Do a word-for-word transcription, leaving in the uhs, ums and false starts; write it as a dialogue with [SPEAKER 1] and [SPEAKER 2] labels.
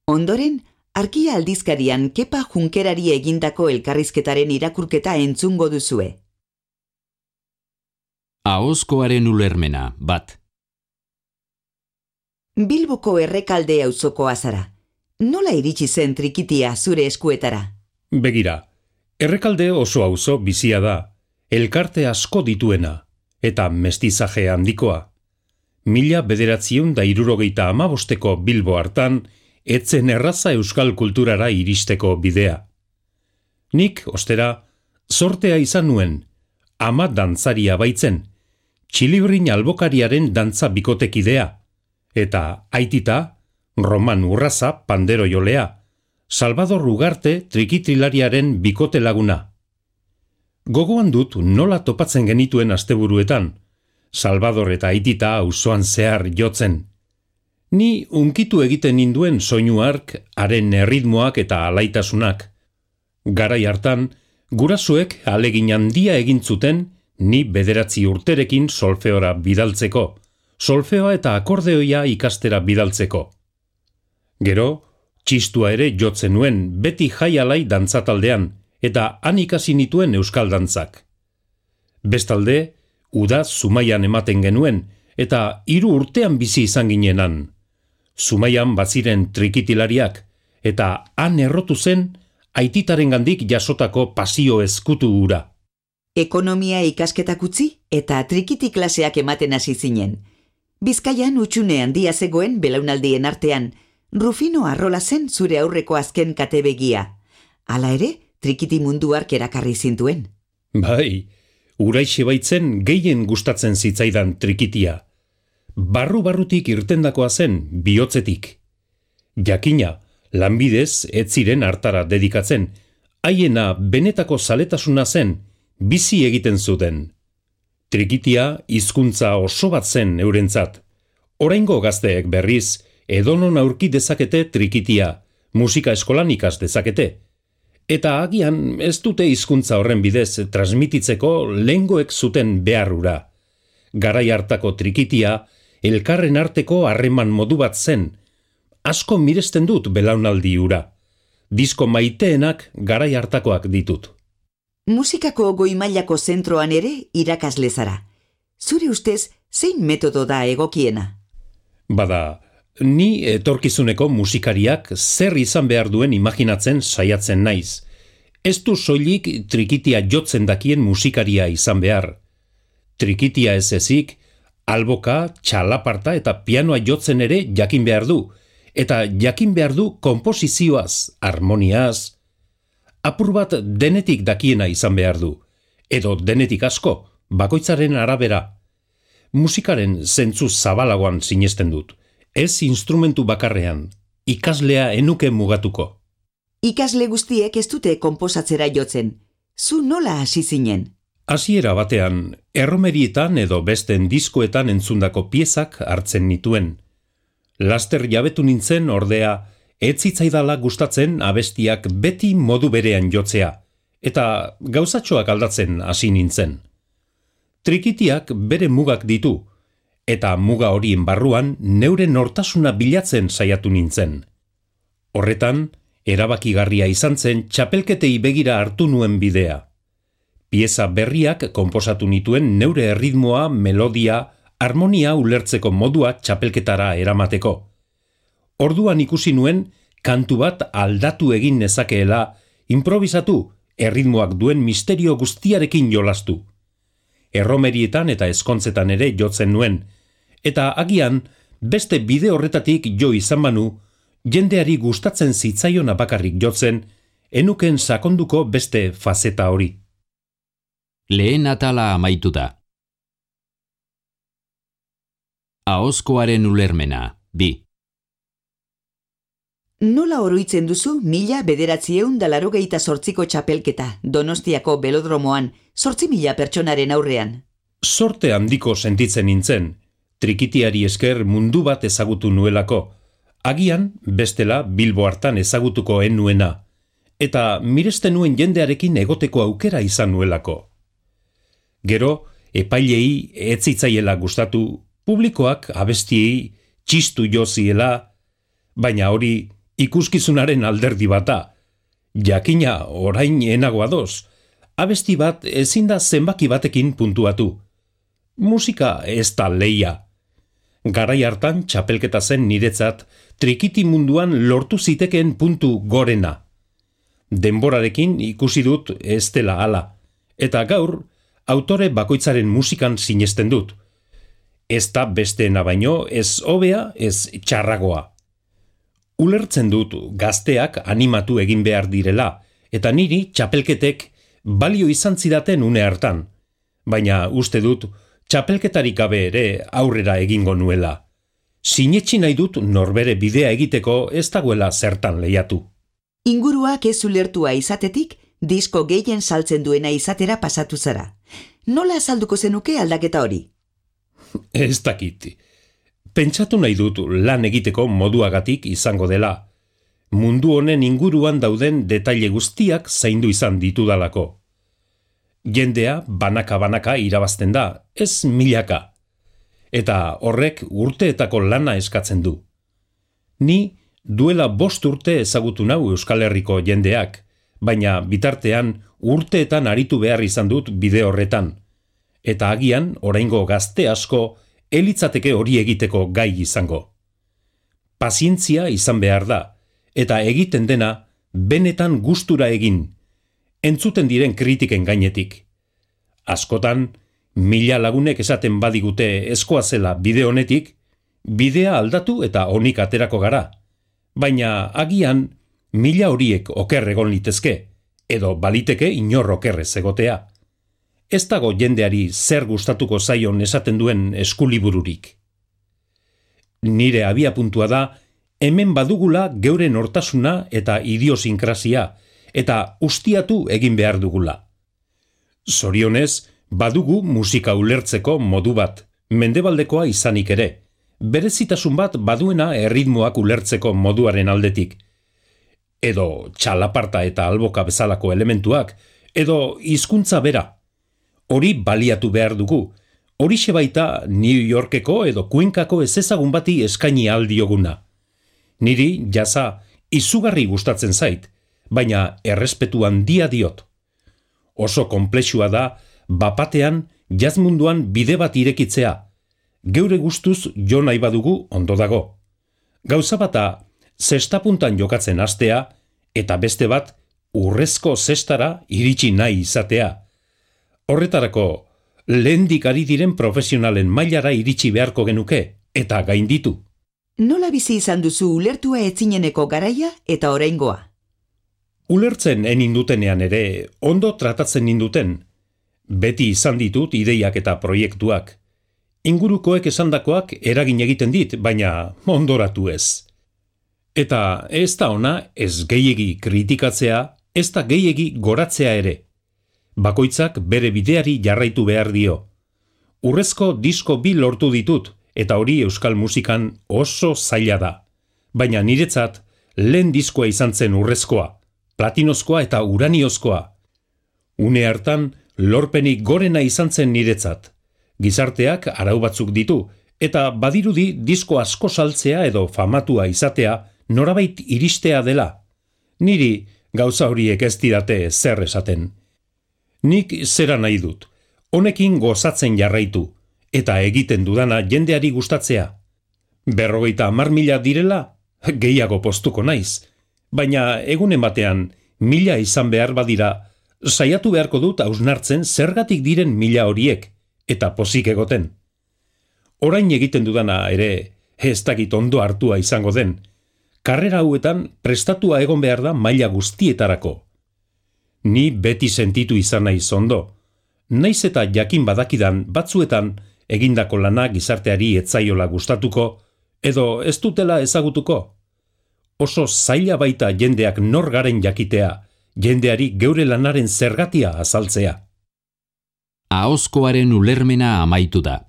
[SPEAKER 1] Ondoren, Arkia aldizkarian Kepa Junkerari egindako elkarrizketaren irakurketa entzungo duzue.
[SPEAKER 2] Ahozkoaren ulermena, bat.
[SPEAKER 1] Bilboko Errekalde auzokoa zara. Nola iritsi zen Trikitia zure eskuetara?
[SPEAKER 3] Begira, Errekalde oso auzo bizia da, elkarte asko dituena, eta mestizaje handikoa. Mila bederatziehun da hirurogeita hamabosteko Bilbo hartan, etzen erraza euskal kulturara iristeko bidea. Nik, ostera, zortea izan nuen, ama dantzaria baitzen, Txilibrin albokariaren dantza bikotekidea, eta aitita, Roman Urraza pandero jolea, Salvador Ugarte trikitrilariaren bikote laguna. Gogoan dut nola topatzen genituen asteburuetan, Salvador eta aitita auzoan zehar jotzen. Ni unkitu egiten ninduen soinu hark, haren erritmoak eta alaitasunak. Garai hartan, gurasoek ahalegin handia egin zuten ni bederatzi urterekin solfeora bidaltzeko, solfeoa eta akordeoia ikastera bidaltzeko. Gero, txistua ere jotzen nuen beti jaialai dantzataldean, eta han ikasi nituen euskal dantzak. Bestalde, uda Zumaian ematen genuen, eta hiru urtean bizi izan ginenan. Zumaian baziren trikitilariak, eta han errotu zen aititarengandik jasotako pasio ezkutu hura.
[SPEAKER 1] Ekonomia ikasketak utzi eta trikiti klaseak ematen hasi zinen. Bizkaian utxune handia zegoen belaunaldien artean, Rufino Arrola zen zure aurreko azken katebegia. Hala ere, trikiti mundu hark erakarri zintuen.
[SPEAKER 3] Bai, uraixe baitzen gehien gustatzen zitzaidan trikitia. Barru-barrutik irtendakoa zen bihotzetik. Jakina, lanbidez ez ziren hartara dedikatzen, haiena benetako zaletasuna zen, bizi egiten zuten. Trikitia hizkuntza oso bat zen eurentzat. Oraingo gazteek berriz, edonon aurki dezakete trikitia, musika eskolan ikas dezakete. Eta agian ez dute hizkuntza horren bidez transmititzeko lehengoek zuten beharrura. Garai hartako trikitia, elkarren arteko harreman modu bat zen. Asko miresten dut belaunaldi hura. Disko maiteenak garai hartakoak ditut.
[SPEAKER 1] Musikako goi-mailako zentroan ere irakasle zara. Zure ustez, zein metodo da egokiena?
[SPEAKER 3] Bada, ni etorkizuneko musikariak zer izan behar duen imaginatzen saiatzen naiz. Ez du soilik trikitia jotzen dakien musikaria izan behar. Trikitia ez ezik, alboka, txalaparta eta pianoa jotzen ere jakin behar du, eta jakin behar du konposizioaz, harmoniaz. Apur bat denetik dakiena izan behar du, edo denetik asko, bakoitzaren arabera. Musikaren zentzu zabalagoan sinesten dut, ez instrumentu bakarrean, ikaslea enuke mugatuko.
[SPEAKER 1] Ikasle guztiek ez dute konposatzera jotzen, zu nola hasi zinen?
[SPEAKER 3] Hasiera batean, erromerietan edo besten diskoetan entzundako piezak hartzen nituen. Laster jabetu nintzen ordea, ez zitzaidala gustatzen abestiak beti modu berean jotzea, eta gauzatxoak aldatzen hasi nintzen. Trikitiak bere mugak ditu, eta muga horien barruan neure nortasuna bilatzen saiatu nintzen. Horretan, erabakigarria izan zen txapelketei begira hartu nuen bidea. Pieza berriak konposatu nituen neure erritmoa, melodia, harmonia ulertzeko modua txapelketara eramateko. Orduan ikusi nuen, kantu bat aldatu egin nezakeela, improvisatu, erritmoak duen misterio guztiarekin jolastu. Erromerietan eta eskontzetan ere jotzen nuen, eta agian, beste bide horretatik jo izan banu, jendeari gustatzen zitzaiona bakarrik jotzen, enuken sakonduko beste fazeta hori.
[SPEAKER 2] Lehen atala amaitu da. Ahozkoaren ulermena, bi.
[SPEAKER 1] Nola oroitzen duzu mila bederatzieun da larogeita zortziko txapelketa, Donostiako belodromoan, zortzi mila pertsonaren aurrean?
[SPEAKER 3] Sorte handiko sentitzen nintzen, trikitiari esker mundu bat ezagutu nuelako, agian bestela Bilbo hartan ezagutuko en nuena, eta miresten nuen jendearekin egoteko aukera izan nuelako. Gero, epailei ez zitzaiela gustatu, publikoak abestiei txistu jo ziela, baina hori ikuskizunaren alderdi bata. Jakina orain enagoa doz. Abesti bat ezin da zenbaki batekin puntuatu. Musika ez da leia. Garai hartan txapelketa zen niretzat trikiti munduan lortu zitekeen puntu gorena. Denborarekin ikusi dut ez dela hala, eta gaur autore bakoitzaren musikan sinesten dut. Ez da besteena baino ez hobea ez txarragoa. Ulertzen dut gazteak animatu egin behar direla, eta niri txapelketek balio izan zidaten une hartan, baina uste dut txapelketarik gabe ere aurrera egingo nuela. Sinetsi nahi dut norbere bidea egiteko ez dagoela zertan lehiatu.
[SPEAKER 1] Inguruak ez ulertua izatetik, disko gehien saltzen duena izatera pasatu zara. Nola azalduko zenuke aldaketa hori?
[SPEAKER 3] Ez dakit. Pentsatu nahi dut lan egiteko moduagatik izango dela. Mundu honen inguruan dauden detaile guztiak zaindu izan ditudalako. Jendea banaka-banaka irabazten da, ez milaka. Eta horrek urteetako lana eskatzen du. Ni duela bost urte ezagutu nau Euskal Herriko jendeak, baina bitartean urteetan aritu behar izan dut bide horretan. Eta agian oraingo gazte asko elitzateke hori egiteko gai izango. Pazientzia izan behar da, eta egiten dena benetan gustura egin, entzuten diren kritiken gainetik. Askotan, mila lagunek esaten badigute eskoa zela bide honetik, bidea aldatu eta onik aterako gara. Baina agian mila horiek oker egon litezke, edo baliteke inor okerrez egotea. Ez dago jendeari zer gustatuko zaion esaten duen eskulibururik. Nire abia puntua da, hemen badugula geuren hortasuna eta idiosinkrasia, eta ustiatu egin behar dugula. Zorionez, badugu musika ulertzeko modu bat, mendebaldekoa izanik ere, berezitasun bat baduena erritmoak ulertzeko moduaren aldetik. Edo txalaparta eta alboka bezalako elementuak, edo hizkuntza bera. Hori baliatu behar dugu, horixe baita New Yorkeko edo Cuencako ezezagun bati eskaini aldioguna. Niri jaza izugarri gustatzen zait, baina errespetu handia diot. Oso konplexua da, bapatean jazz munduan bide bat irekitzea. Geure gustuz jo nahi badugu ondo dago. Gauza bata zestapuntan jokatzen hastea, eta beste bat urrezko zestara iritsi nahi izatea. Horretarako, lehendik ari diren profesionalen mailara iritsi beharko genuke, eta gainditu.
[SPEAKER 1] Nola bizi izan duzu ulertua etzineneko garaia eta oraingoa?
[SPEAKER 3] Ulertzen enindutenean ere, ondo tratatzen ninduten. Beti izan ditut ideiak eta proiektuak. Ingurukoek esandakoak eragin egiten dit, baina ondoratu ez. Eta ez da ona ez gehiegi kritikatzea, ez da gehiegi goratzea ere. Bakoitzak bere bideari jarraitu behar dio. Urrezko disko bi lortu ditut, eta hori euskal musikan oso zaila da. Baina niretzat, lehen diskoa izan zen urrezkoa, platinozkoa eta uraniozkoa. Une hartan, lorpenik gorena izan zen niretzat. Gizarteak arau batzuk ditu, eta badirudi disko asko saltzea edo famatua izatea norabait iristea dela. Niri gauza horiek ez didate zer esaten. Nik zera nahi dut, honekin gozatzen jarraitu, eta egiten dudana jendeari gustatzea. Berrogeita hamar mila direla, gehiago postuko naiz, baina egunen batean mila izan behar badira, saiatu beharko dut hausnartzen zergatik diren mila horiek, eta pozik egoten. Orain egiten dudana ere, ez dakit ondo hartua izango den, karrera hauetan prestatua egon behar da maila guztietarako. Ni beti sentitu izan naiz ondo, naiz eta jakin badakidan batzuetan egindako lana gizarteari etzaiola gustatuko, edo ez dutela ezagutuko. Oso zaila baita jendeak nor garen jakitea, jendeari geure lanaren zergatia azaltzea.
[SPEAKER 2] Ahozkoaren ulermena amaitu da.